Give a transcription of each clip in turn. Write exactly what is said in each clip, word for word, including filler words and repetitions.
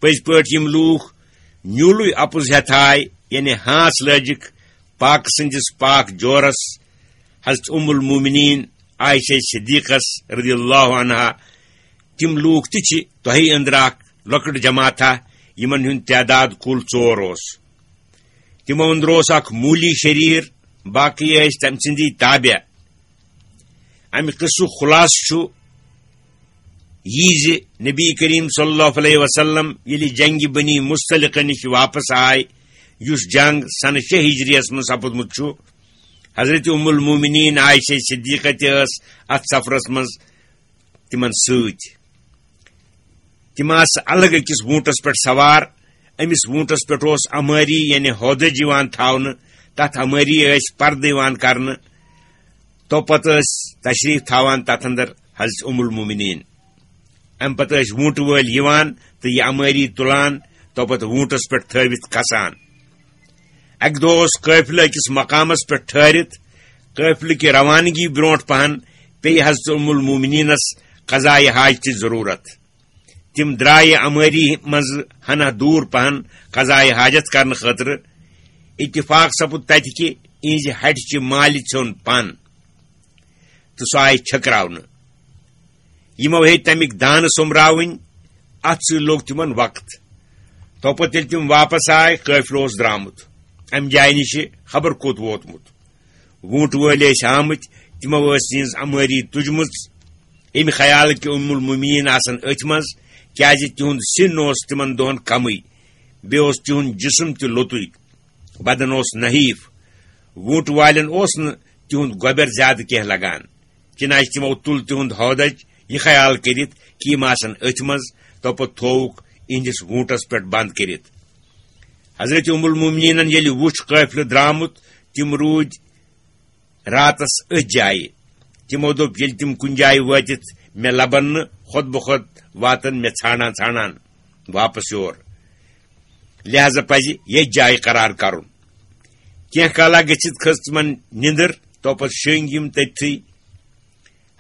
پٔزۍ پٲٹھۍ یِم لوٗکھ نیوٗلٕے اَپُز ہٮ۪تھ آے، یعنی ہانٛس لٲجِکھ پاکہٕ سٕنٛدِس پاک جورس، حضرت ام المومنین عائشہ صدیقس رضی اللہ عنہا، تِم لوٗکھ تہِ چھِ تۄہہِ أنٛدرٕ اکھ لۄکٕٹ جماعتھا، یِمن ہُنٛد تعداد کُل ژور اوس۔ تِمو أنٛدرٕ اوس اکھ مولی شریٖر، باقٕے ٲسۍ تٔمۍ سٕنٛدی تابع۔ امہِ قصُک خلاصہٕ چھُ یہِ زِ نبی کریم صلی اللہ علیہ وسلم ییٚلہِ جنگِ بنی مصطلقہ نِش واپس آے، یُس جنگ سنہٕ شےٚ ہجریَس منٛز سپُدمُت چھُ، حضرت ام المومنین عائشہ صدیقہ تہِ ٲس اتھ سفرس منٛز تِمن سۭتۍ۔ تِم آسہٕ الگ أکِس ووٗنٹس پٮ۪ٹھ سوار۔ أمِس ووٗنٹس پٮ۪ٹھ اوس امٲری، یعنی ہودج یِوان تھاونہٕ۔ تتھ امٲری ٲسۍ پردٕ یِوان کرنہٕ۔ تو پتہٕ ٲسۍ تشریف تھاوان تتھ اندر حضرت ام المومنین۔ امہِ پتہٕ ٲسۍ ووٗنٹہٕ وٲلۍ یِوان تہٕ یہِ امٲری تُلان، تو پتہٕ ووٗنٹس پٮ۪ٹھ تھٲوِتھ کھسان۔ اکہِ دۄہ اوس قٲفلہٕ أکِس مقامس پٮ۪ٹھ ٹھہرِتھ۔ قٲفلہٕ کہِ روانگی برونٛٹھ پہن پیٚیہِ حضرت ام المومنینس قضائے حاجتٕچ ضروٗرت۔ تِم درٛایہِ امٲری منٛزٕ ہنا دوٗر پہن قضائے حاجت کرنہٕ خٲطرٕ۔ اتفاق سپُد تتہِ کہِ اِہنٛزِ ہٹہِ چہِ مالہِ ژھیوٚن پن تہٕ سُہ آیہِ چھٔکراونہٕ۔ یِمو ہیٚتۍ تمیِکۍ دانہٕ سوٚمراوٕنۍ، اتھ سۭتۍ لوٚگ تِمن وقت۔ توپتہٕ ییٚلہِ تِم واپس آے، قٲفلہٕ اوس درٛامُت امہِ جایہِ نِشہِ خبر کوٚت ووتمُت۔ ووٗنٛٹہٕ وٲلۍ ٲسۍ آمٕتۍ، تِمو ٲس یِہٕنٛز امٲری تُجمٕژ، امہِ خیال کہِ ام المومنین آسن أتھۍ منٛز، کیازِ تِہُنٛد سِن اوس تِمن دۄہن کمٕے، بیٚیہِ اوس تِہُنٛد جسم تہِ لوٚتُے، بدن اوس نحیف۔ ووٗنٛٹہٕ والٮ۪ن اوس نہٕ تِہُنٛد گۄبٮ۪ر زیادٕ کینٛہہ لگان، چنانچہ تِمو تُل تِہُنٛد ہودج یہِ خیال کٔرِتھ کہِ یِم آسن أتھۍ منٛز، توپتہٕ تھووُکھ یِہنٛدِس ووٗنٛٹس پٮ۪ٹھ بند کٔرِتھ۔ حضرت ام المومنینن ییٚلہِ وُچھ قٲفلہٕ درٛامُت، تِم روٗدۍ راتس أتھۍ جایہِ۔ تِمو دوٚپ، ییٚلہِ تِم کُنہِ جایہِ وٲتِتھ مےٚ لبن نہٕ، خۄد بخۄد واتن مےٚ ژھانڈان ژھانڈان واپس یور، لہذا پزِ ییٚتھۍ جایہِ قرار کرُن۔ کینٛہہ کالا گٔژھِتھ کھٔژ تِمن نِندٕر، توپتہٕ شٔنگۍ یِم تٔتھٕے۔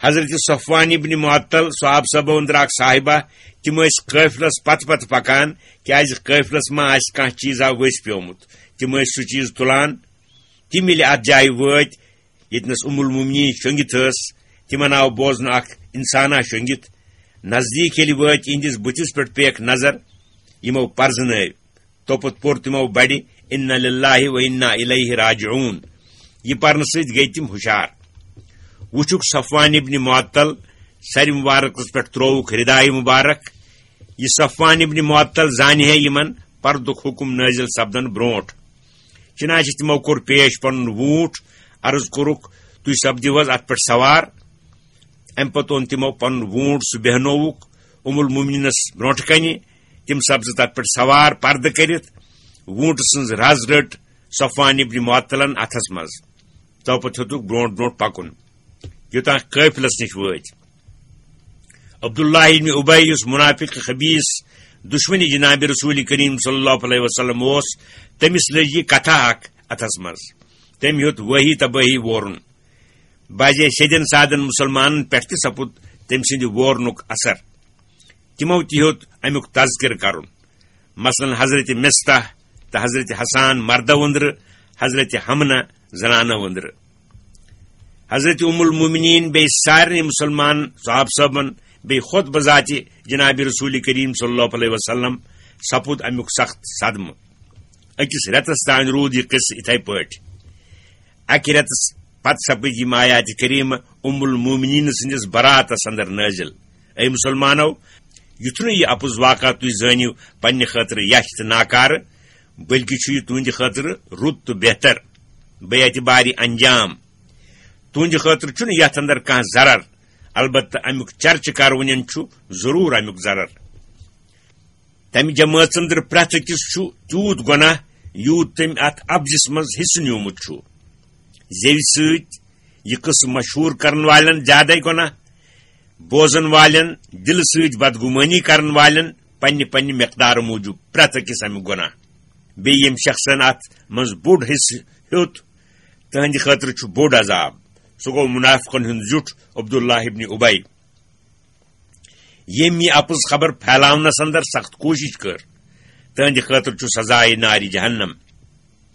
حضرت صفوان ابن معطل، صحابہ صٲبو أنٛدرٕ اکھ صاحبہ، تِم ٲسۍ قٲفلس پتہٕ پتہٕ پکان، کیازِ قٲفلس ما آسہِ کانٛہہ چیٖزا ؤسۍ پیومُت۔ تِم ٲسۍ سُہ چیٖز تُلان۔ تِم ییٚلہِ اتھ جایہِ وٲتۍ، ییٚتنس ام المومنین شۄنگِتھ ٲس، تِمن آو بوزنہٕ اکھ انسانا شۄنگِتھ۔ نزدیٖک ییٚلہِ وٲتۍ، یِہنٛدِس بُتھِس پٮ۪ٹھ پیکھ نظر، یِمو پرزنٲوۍ۔ توپتہٕ پوٚر تِمو بڑِ، "انا للہ و انا الیہ راجعون"۔ یہِ پرنہٕ سۭتۍ گٔیہِ تِم ہُشار۔ وُچھُکھ صفوان ابن معطل، سرِ مبارکس پٮ۪ٹھ ترووُکھ ردایہِ مبارک۔ یہِ صفوان ابن معطل زانہِ ہے یِمن پردُک حُکم نٲزِل سپدن برونٛٹھ۔ چنانچہ تِمو کوٚر پیش پنُن ووٗنٛٹ، عرض کوٚرُکھ، "تُہۍ سپدِو حظ اتھ پٮ۪ٹھ سوار؟" امہِ پتہٕ اوٚن تِمو پنُن ووٗنٛٹ، سُہ بیہنووُکھ ام المومنینس برونٛٹھٕ کنہِ۔ تِم سپزٕ تتھ پٮ۪ٹھ سوار پردٕ کٔرِتھ۔ ووٗنٛٹہٕ سٕنٛز رز رٔٹ صفوان ابن معطلن اتھس منٛز۔ توپتہٕ ہیوٚتُکھ برونٛٹھ برونٛٹھ پکُن، یوٚتام قٲفلس نِش وٲتۍ۔ عبداللہ ابن ابی، یُس منافق خبیث دشمنی جناب رسول کریم صلی اللہ علیہ وسلم اوس، تٔمِس لٔج یہِ کتھا اکھ اتھس منٛز۔ تٔمۍ ہیوٚت وٲہی تبٲہی وورُن۔ بعضے شیٚدٮ۪ن سادن مسلمانن پٮ۪ٹھ تہِ سپُد تٔمۍ سٕنٛدِ وورنُک اثر۔ تِمو تہِ ہیوٚت امیُک تذکرٕ کرُن۔ مثلاً حضرت مصطح تہٕ حضرت حسان مردو أنٛدرٕ، حضرت حمنہ زنانو أنٛدرٕ۔ حضرت ام المومنین بیٚیہِ سارنٕے مسلمان صحابہ صٲبن بیٚیہِ خود بذاتِ جناب رسول کریم صلی اللہ علیہ وسلم سپُد امیُک سخت صدمہٕ۔ أکِس رٮ۪تس تام روٗد یہِ قصہٕ اِتھے پٲٹھۍ۔ اکہِ رٮ۪تس پتہٕ سپٕدۍ یِم آیاتِ کریمہ ام المومنین سٕنٛدِس براتس اندر نٲزِل۔ اے مسلمانو، یُتھ نہٕ یہِ اپُز واقعہ تُہۍ زٲنِو پننہِ خٲطرٕ یچھ تہٕ ناکارٕ، بلکہِ چھُ یہِ تُہنٛدِ خٲطرٕ رُت تہٕ بہتر۔ بے اعتبارِ انجام۔ تُہنٛدِ خٲطرٕ چھُنہٕ یتھ اندر کانٛہہ ضرر، البتہ امیُک چرچہٕ کرونٮ۪ن چھُ ضروٗر امیُک ضرر۔ تمہِ جمٲژ أنٛدرٕ پرٛٮ۪تھ أکِس چھُ تیوٗت گۄناہ، یوٗت تٔمۍ اتھ اپزِس منٛز حصہٕ نیوٗمُت چھُ۔ زیوِ سۭتۍ یہِ قصہٕ مشہوٗر کرن والٮ۪ن زیادے گۄناہ، بوزن والٮ۪ن، دِلہٕ سۭتۍ بدگُمٲنی کرن والٮ۪ن پننہِ پننہِ مقدارٕ موٗجوٗب پرٛٮ۪تھ أکِس امیُک گۄناہ۔ بیٚیہِ ییٚمہِ شخصن اتھ منٛز بوٚڑ حصہٕ ہیوٚت، تہنٛدِ خٲطرٕ چھُ بوٚڑ عذاب۔ سُہ گوٚو منافقن ہُنٛد زیُٹھ عبداللہ ابن ابی۔ ییٚمۍ یہِ اپُز خبر پھیلاونس اندر سخت کوٗشش کٔر، تہنٛدِ خٲطرٕ چھُ سزائے نارِ جہنم۔